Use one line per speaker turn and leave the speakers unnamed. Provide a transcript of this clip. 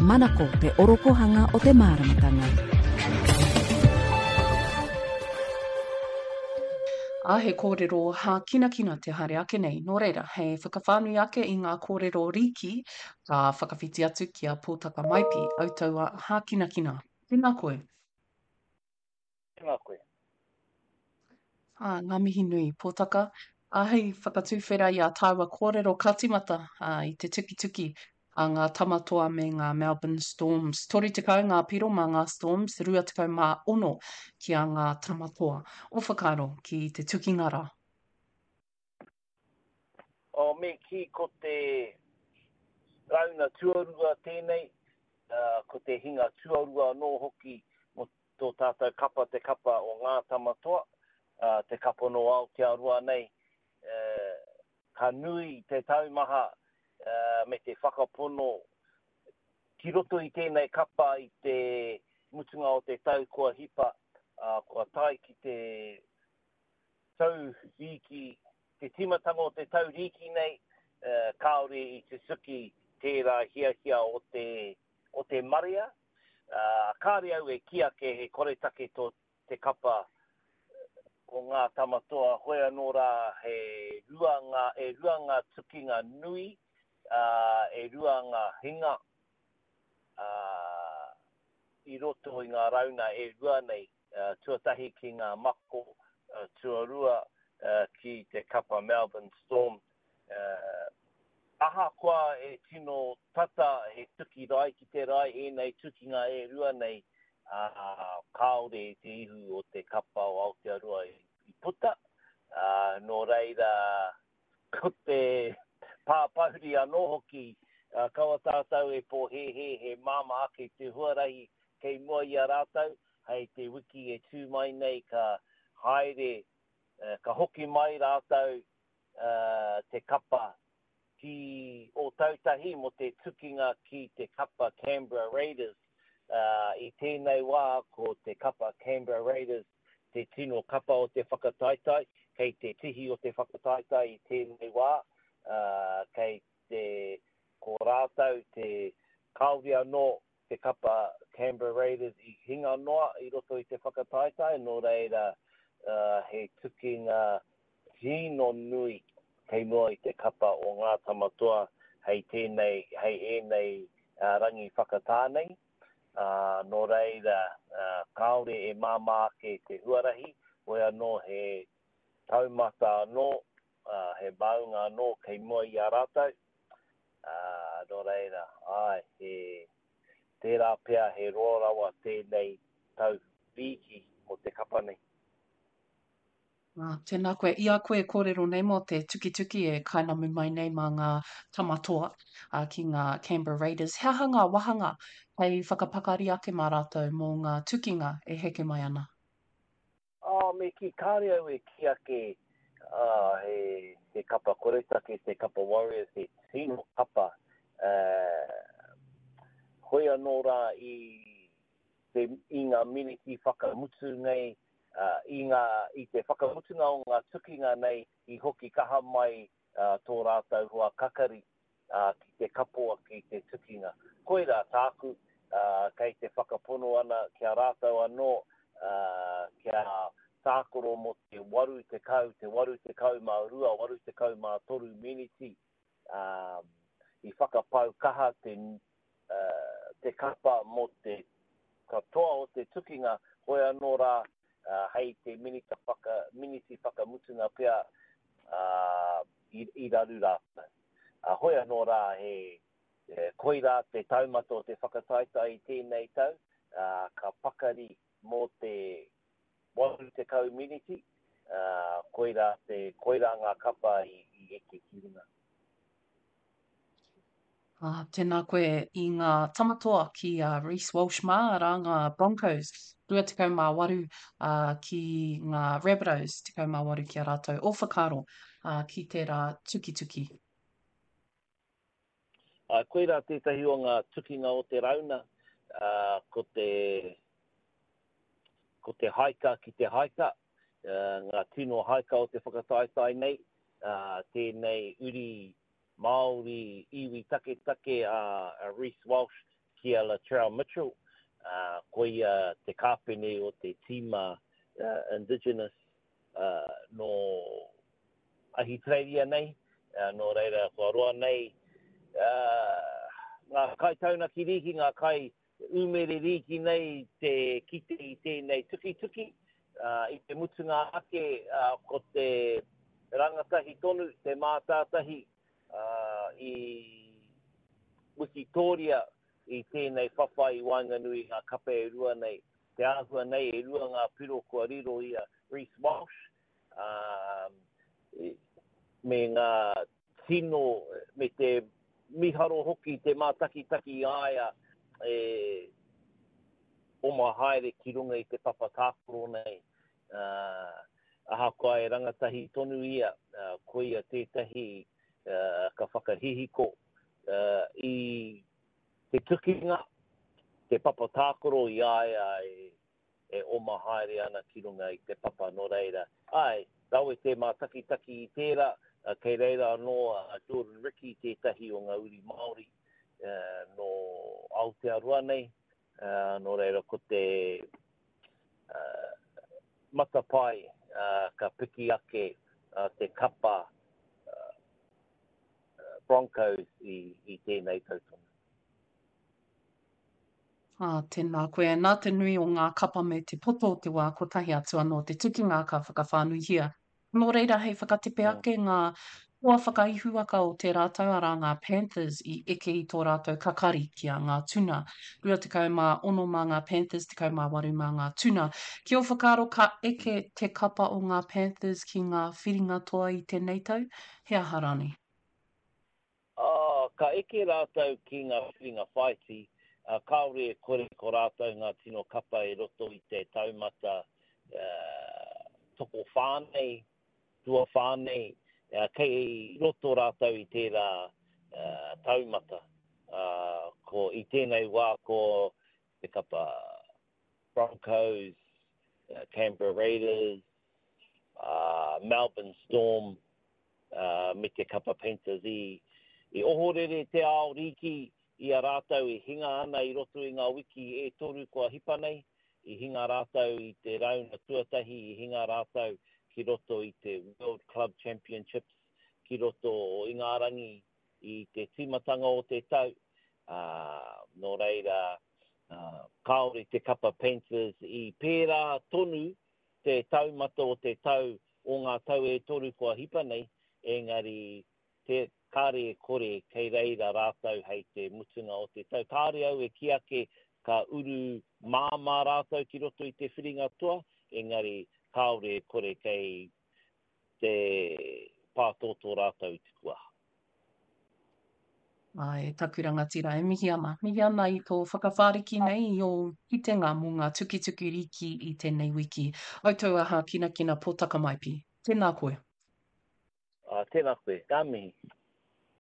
Manako te orokohanga o te māramatanga.
Ā, he kōrero hākinakina te haere ake nei. Nō reira, hei whakawhānui ake i ngā kōrero rīki, ka whakawhiti atu ki a Pōtaka Maipi, Autaua Hākinakina. Tēnā koe.
Tēnā koe.
Ā, ngā mihi nui, Pōtaka. Ā, hei whakatuwhera i ā tāua kōrero ka tīmata, ā, i te tukituki a ngā Tama Toa me ngā Melbourne Storms. 30 ngā piro mā ngā Storms, 26 ki a ngā Tama Toa. Ō whakaaro ki te tukinga rā?
Oh, me kī ko te rauna tuarua tēnei, ko te hinga tuarua anō hoki mō tō tātou kapa, te kapa o Ngā Tama Toa, te kapa nō Aotearoa nei. Ka nui te taumaha me te whakapono ki roto i tēnei kapa i te mutunga o te tau kua hipa, kua tae ki te tau rīki, te tīmatanga o te tau rīki nei, kāore i tutuki tērā hiahia o te, o te marea. Kāore au e kī ake he koretake tō te kapa o Ngā Tama Toa, hoi anō rā he rua ngā, e rua ngā tukinga nui, ā, e rua ngā hinga, ā, i roto i ngā rauna e rua nei. Tuatahi ki ngā mako, tuarua ki te kapa Melbourne Storm. Ahakoa e tino tata he tuki rae ki te rae ēnei tukinga e rua nei, kāore te ihu o te kapa o Aotearoa i puta, nō reira Ko te pāpahuri anō hoki, kaua tātou e pōhēhē he māmā ake te huarahi kei mua i a rātou, hei te wiki e tū mai nei ka haere, ka hoki mai rātou te kapa ki Ōtautahi mō te tukinga ki te kapa Canberra Raiders. I tēnei wā ko te kapa Canberra Raiders te tino kapa o te whakataetae, kei te tihi o te whakataetae i tēnei wā, ā, kei te, ko rātou te, kāore anō te kapa Canberra Raiders i hinga noa i roto i te whakataetae, nō reira, ā, he tukinga tino nui kei mua i te kapa o Ngā Tama Toa hei tēnei, hei ēnei rangi whakatā nei. Ā, nō reira, kāore e māmā ake te huarahi, hoi anō he taumata anō, ā, he maunga anō kei mua i a rātou. Ā, nō reira, āe, he, tērā pea he roa rawa tēnei tau rīki mō te kapa nei.
Ā, tēnā koe. I a koe e kōrero nei mō te tukituki e kainamu mai nei mā ngā tama toa, ā, ki ngā Canberra Raiders, he aha ngā wāhanga hei whakapakari ake mā rātou mō ngā tukinga e heke mai ana?
Ā, me kī, kāre au e kī ake, ā, he, he kapa koretake te kapa Warriors, he tino kapa, ā, hoi anō rā i te, i ngā miniti whakamutu nei, ā, i ngā, i te whakamutunga o ngā tukinga nei i hoki kaha mai tō rātou hoa kakari, ā, ki te kapo ake i te tukinga. Koirā tāku, ā, kei te whakapono ana ki a rātou anō, ā, kia tākaro mō te 80, te 82, 83 miniti, ā, i whakapau kaha te, te kapa mō te katoa o te tukinga, hoi anō rā, hei te minita whaka, miniti whakamutunga pea, i, i raru rātou. Hoi anō rā, he, koirā te taumata o te whakataetae i tēnei tau, ka pakari mō te 80 miniti, koirā te, koirā ngā kapa i, i eke ki runga.
Ā, tēnā koe i ngā tama toa ki a Reece Walsh mā, arā ngā Broncos, 28 ā, ki ngā Rabbitohs, 18 ki a rātou. Ō whakaaro ā, ki tērā tukituki.
Ā, koirā tētahi o ngā tukinga o te rauna, ā, ko te, ko te haika ki te haika, ngā tino haika o te whakataetae nei, ā, tēnei uri Māori iwi taketake a Reece Walsh ki a Latrell Mitchell, ā, koia te kāpene o te tīma Indigenous nō Ahitereiria nei, nō reira kua roa nei ngā kaitaunaki rīki, ngā kai umere rīki nei te kite i tēnei tukituki. I te mutunga ake ko te rangatahi tonu, te mātātahi i wikitōria i tēnei whawhai i waenganui i ngā kape e rua nei. Te āhua nei e rua ngā piro kua riro i a Reece Walsh, ā, me ngā tino, me te miharo hoki te mātakitaki i a ia e oma haere ki runga i te papa tākaro nei. Ā, ahakoa e rangatahi tonu ia, koia tētahi ka whakahihiko i te tukinga, te papa tākaro i a ia e e oma haere ana ki runga i te papa, nō reira, āe, rawe te mātakitaki i tērā, kei reira anō a Jordan Riki, tētahi o ngā uri Māori nō Aotearoa nei, nō reira ko te matapae ka piki ake te kapa Broncos i tēnei tau tonu.
Ā, tēnā koe. Nā te nui o ngā kapa me te poto o te wā kotahi atu anō te tukinga ka whakawhānuihia. Nō reira, hei whakatepe ake ngā hoa whakaihuwaka o tērā tau, arā ngā Panthers i eke i tō rātou kakari ki a Ngā Tuna. 26 mā ngā Panthers, 18 mā ngā Tuna. Ki ō whakaaro ka eke te kapa o ngā Panthers ki ngā whiringa toa i tēnei tau? He aha rānei?
Ā, ka eke rātou ki ngā whiringa whāiti, ā, kāore e kore ko rātou ngā tino kapa i roto i te taumata tokowhā nei, tuawhā nei, kei roto rātou i tērā taumata. Ā, ko, i tēnei wā ko te kapa Broncos, Canberra Raiders, ā, Melbourne Storm, me te kapa Panthers i ohorere te ao rīki i a rātou e hinga ana i roto i ngā wiki e toru kua hipa nei. I hinga rātou i te rauna tuatahi, i hinga rātou ki roto i te World Club Championships ki roto o Ingarangi i te tīmatanga o te tau, ā, nō reira, kāore te kapa Panthers i pērā tonu te taumata o te tau o ngā tau e toru kua hipa nei, engari te, kāre e kore kei reira rātou hei te mutunga o te tau. Kāre au e kī ake ka uru māmā rātou ki roto i te whiringa toa, engari kāore e kore kei te pātōtō rātou i te kuaha.
Āe, e taku rangatira, e mihi ana. Mihi ana i tō whakawhāriki nei i ō kitenga mō ngā tukituki rīki i tēnei wiki. Au tau aha kinakina Pōtaka Maipi. Tēnā koe.
Ā, tēnā koe. Ka mihi.